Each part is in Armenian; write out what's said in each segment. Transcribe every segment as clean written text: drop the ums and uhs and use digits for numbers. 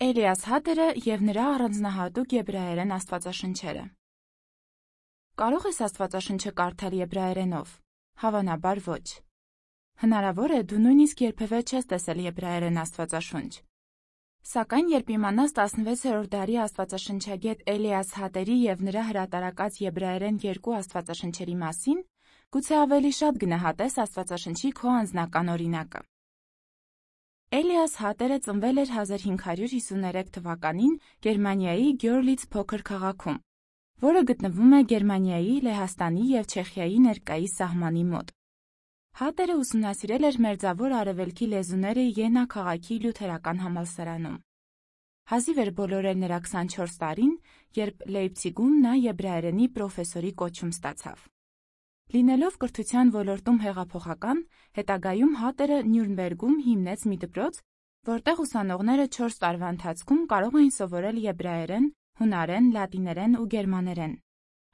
Էլիաս Հատերը և նրա առանձնահատուկ եբրայերեն աստվածաշնչերը։ Կարո՞ղ ես աստվածաշնչը կարդալ եբրայերենով։ Հավանաբար ոչ։ Հնարավոր է դու նույնիսկ երբևէ չես տեսել եբրայերեն աստվածաշունչ։ Սակայն երբ իմանաս 16-րդ դարի աստվածաշնչագետ Էլիաս Հատերի և նրա հրատարակած եբրայերեն երկու աստվածաշնչերի մասին, գուցե ավելի շատ գնահատես աստվածաշնչի քո անձնական օրինակը։ Էլիաս Հատերը ծնվել էր 1553 թվականին Գերմանիայի Գյորլից փոքր քաղաքում, որը գտնվում է Գերմանիայի, Լեհաստանի և Չեխիայի ներկայիս սահմանի մոտ։ Հատերը ուսումնասիրել էր Մերձավոր Արևելքի լեզուները Յենա քաղաքի լյութերական համալսարանում։ Հազիվ էր բոլորել նրա 24 տարին, երբ Լեյպցիգում նա եբրայերենի պրոֆեսորի կոչում ստացավ։ Լինելով կրթության ոլորտում հեղափոխական, հետագայում Հատերը Նյուրնբերգում հիմնեց մի դպրոց, որտեղ ուսանողները 4 տարվա ընթացքում կարող էին սովորել եբրայերեն, հունարեն, լատիներեն ու գերմաներեն։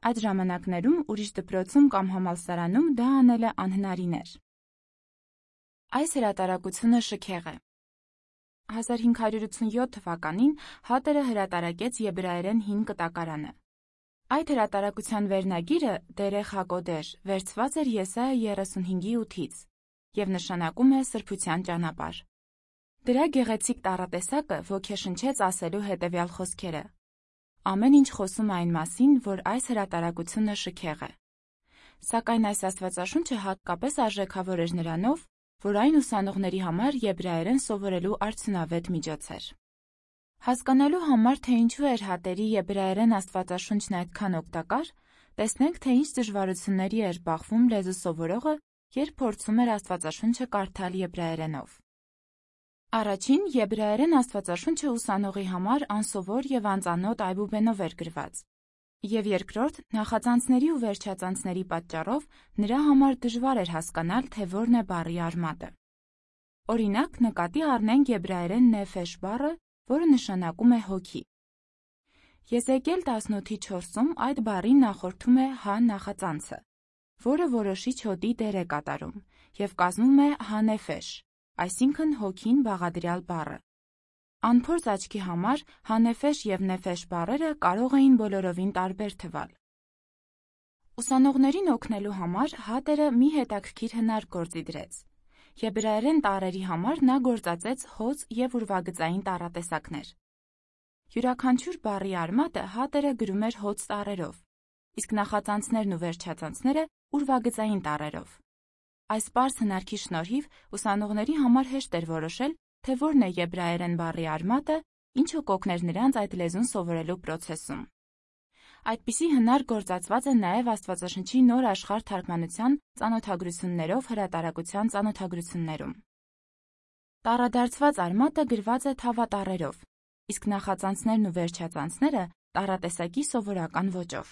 Այդ ժամանակներում ուրիշ դպրոցում կամ համալսարանում դա անելը անհնարին էր։ Այս հրատարակությունը շքեղ է։ 1587 թվականին Հատերը հրատարակեց եբրայերեն հին կտակարանը։ Այդ հրատարակության վերնագիրը «Դերեխ հակոդեշ» վերցված էր Եսայա 35:8-ից և նշանակում է «սրբության ճանապարհ»։ Դրա գեղեցիկ տառատեսակը ոգեշնչեց ասելու հետևյալ խոսքերը. «Ամեն ինչ խոսում է այն մասին, որ այս հրատարակությունը շքեղ է»։ Սակայն այս աստվածաշունչը հատկապես արժեքավոր էր նրանով, որ այն ուսանողների համար եբրայերեն սովորելու արդյունավետ միջոց էր։ Հասկանալու համար, թե ինչու էր Հատերի եբրայերեն աստվածաշունչն այդքան օգտակար, տեսնենք, թե ինչ դժվարությունների էր բախվում լեզու սովորողը, երբ փորձում էր աստվածաշունչը կարդալ եբրայերենով։ Առաջին, եբրայերեն աստվածաշունչը ուսանողի համար անսովոր և անծանոթ այբուբենով էր գրված, և երկրորդ, նախածանցների ու վերջածանցների պատճառով նրա համար դժվար էր հասկանալ, թե որն է բառի արմատը։ Օրինակ, նկատի առնենք եբրայերեն նեֆեշ բառը, որը նշանակում է հոգի։ Եզեկիել 18:4-ում այդ բառին նախորդում է հա նախածանցը, որը որոշիչ հոտի դեր է կատարում և կազմում է հանեֆեշ, այսինքն հոգին բաղադրյալ բառը։ Անփորձ աչքի համար հանեֆեշ և նեֆեշ բառերը կարող էին բոլորովին տարբեր թվալ։ Ուսանողներին օգնելու համար Հատերը մի հետաքրքիր հնարք գործի դրեց։ Եբրայերեն տառերի համար նա գործածեց հոծ և ուրվագծային տառատեսակներ։ Յուրաքանչյուր բառի արմատը Հատերը գրում էր հոծ տառերով, իսկ նախածանցներն ու վերջածանցները ուրվագծային տառերով։ Այս պարզ հնարքի շնորհիվ ուսանողների համար հեշտ էր որոշել, թե որն է եբրայերեն բառի արմատը, ինչը կօգներ նրանց այդ լեզուն սովորելու պրոցեսում։ Այդպիսի հնարք գործածված է նաև Աստվածաշնչի Նոր աշխարհ թարգմանության ծանոթագրություններով հրատարակության ծանոթագրություններում։ Տառադարձված արմատը գրված է թավատառերով, իսկ նախածանցներն ու վերջածանցները տառատեսակի սովորական ոճով։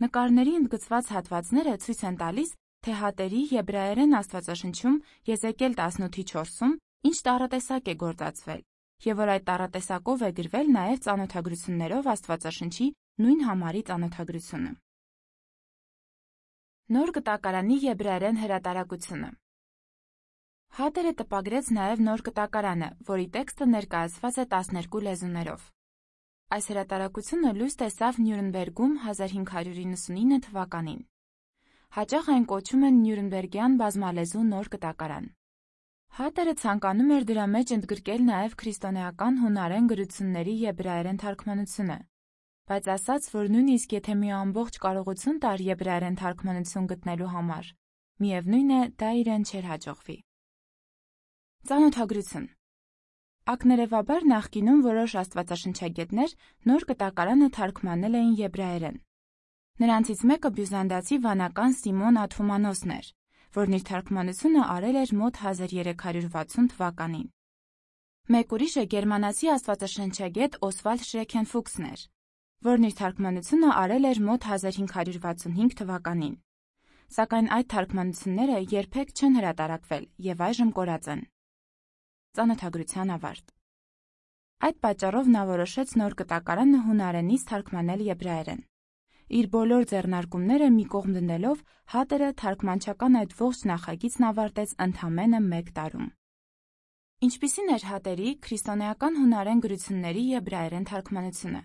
Նկարների ընդգծված հատվածները ցույց են տալիս, թե Հատերի եբրայերեն աստվածաշնչում Եզեկիել 18:4-ում ինչ տառատեսակ է գործածվել, և որ այդ տառատեսակով է գրվել նաև ծանոթագրություններով Աստվածաշնչի նույն համարի ծանոթագրությունը։ Նոր կտակարանի եբրայերեն հրատարակությունը։ Հատերը տպագրեց նաև նոր կտակարանը, որի տեքստը ներկայացված է 12 լեզուներով։ Այս հրատարակությունը լույս տեսավ Նյուրնբերգում 1599 թվականին։ Հաճախ այն կոչում են Նյուրնբերգյան բազմալեզու նոր կտակարան։ Հատերը ցանկանում էր դրա մեջ ընդգրկել նաև քրիստոնեական հունարեն գրությունների եբրայերեն թարգմանությունը, բայց ասաց, որ նույնիսկ եթե մի ամբողջ կարողություն տար եբրայերեն թարգմանություն գտնելու համար, միևնույն է, դա իրեն չէր հաջողվի։ Ծանոթագրություն։ Ակներևաբար նախկինում որոշ աստվածաշնչագետներ նոր կտակարանը թարգմանել էին եբրայերեն։ Նրանցից մեկը բյուզանդացի վանական Սիմոն Աթոմանոսն էր, որն իր թարգմանությունը արել էր մոտ 1360 թվականին։ Մեկ ուրիշը գերմանացի աստվածաշնչագետ Օսվալդ Շրեքենֆուքսն էր, որն իր թարգմանությունը արել էր մոտ 1565 թվականին։ Սակայն այդ թարգմանությունները երբեք չեն հրատարակվել և այժմ կորած են։ Ծանոթագրության ավարտ։ Այդ պատճառով նա որոշեց նոր կտակարանը հունարենից թարգմանել եբրայերեն։ Իր բոլոր ձեռնարկումները մի կողմ դնելով, Հատերը թարգմանչական այդ ողջ նախագիծն ավարտեց ընդամենը 1 տարում։ Ինչպիսին էր Հատերի քրիստոնեական հունարեն գրությունների եբրայերեն թարգմանությունը։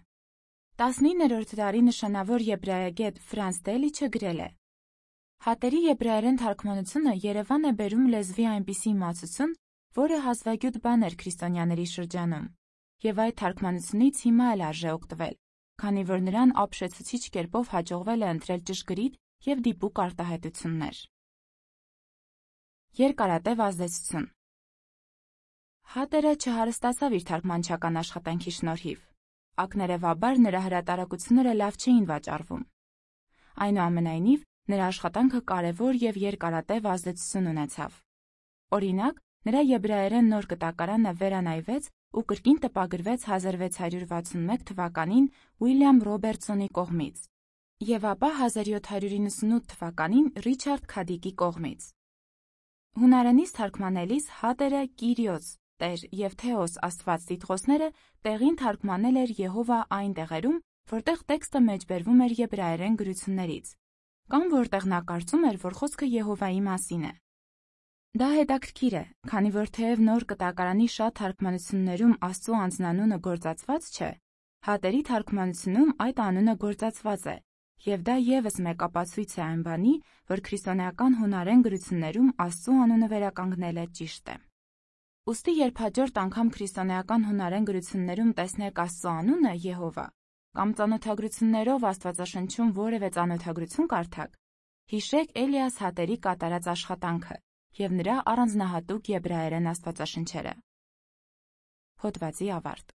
19-րդ դարի նշանավոր եբրայագետ Ֆրանց Դելիչը գրել է. Հատերի եբրայերեն թարգմանությունը Երևան է բերում լեզվի այնպիսի իմացություն, որը հազվագյուտ բան էր քրիստոնյաների շրջանում, եւ այդ թարգմանությունից հիմա էլ արժե օգտվել, քանի որ նրան ապշեցուցիչ կերպով հաջողվել է ընտրել ճշգրիտ եւ դիպուկ արտահայտություններ։ Երկարատև ազդեցություն։ Հատերը չհարստացավ իր թարգմանչական աշխատանքի շնորհիվ։ Ակներևաբար նրա հրատարակությունները լավ չէին վաճառվում։ Այնուամենայնիվ, նրա աշխատանքը կարևոր եւ երկարատև ազդեցություն ունեցավ։ Օրինակ, նրա եբրայերեն նոր կտակարանը վերանայվեց ու կրկին տպագրվեց 1661 թվականին Ուիլյամ Ռոբերտսոնի կողմից եւ ապա 1798 թվականին Ռիչարդ Քադիկի կողմից։ Հունարենից թարգմանելիս Հատերը Կիրիոս, Տեր եւ Թեոս Աստված տիտղոսները տեղին թարգմանել էր Եհովա այն տեղերում, որտեղ տեքստը մեջբերվում էր եբրայերեն գրություններից, կամ որտեղ նա կարծում էր, որ խոսքը Եհովայի մասին է։ Դա հետաքրքիր է, քանի որ թեև նոր կտակարանի շատ թարգմանություններում Աստծո անձնանունը գործածված չէ, Հատերի թարգմանությունում այդ անունը գործածված է, եւ դա եւս մեկ ապացույց է այն բանի, որ քրիստոնեական հունարեն գրություններում Աստծո անունը վերականգնելը ճիշտ է։ Ուստի երբ հաջորդ անգամ քրիստոնեական հունարեն գրություններում տեսնեք Աստծո անունը Եհովա, կամ ծանոթագրություններով Աստվածաշնչում որևէ ծանոթագրություն կարդաք, հիշեք Էլիաս Հատերի կատարած աշխատանքը եւ նրա առանձնահատուկ եբրայերեն աստվածաշնչերը։ Հոդվացի ավարտ։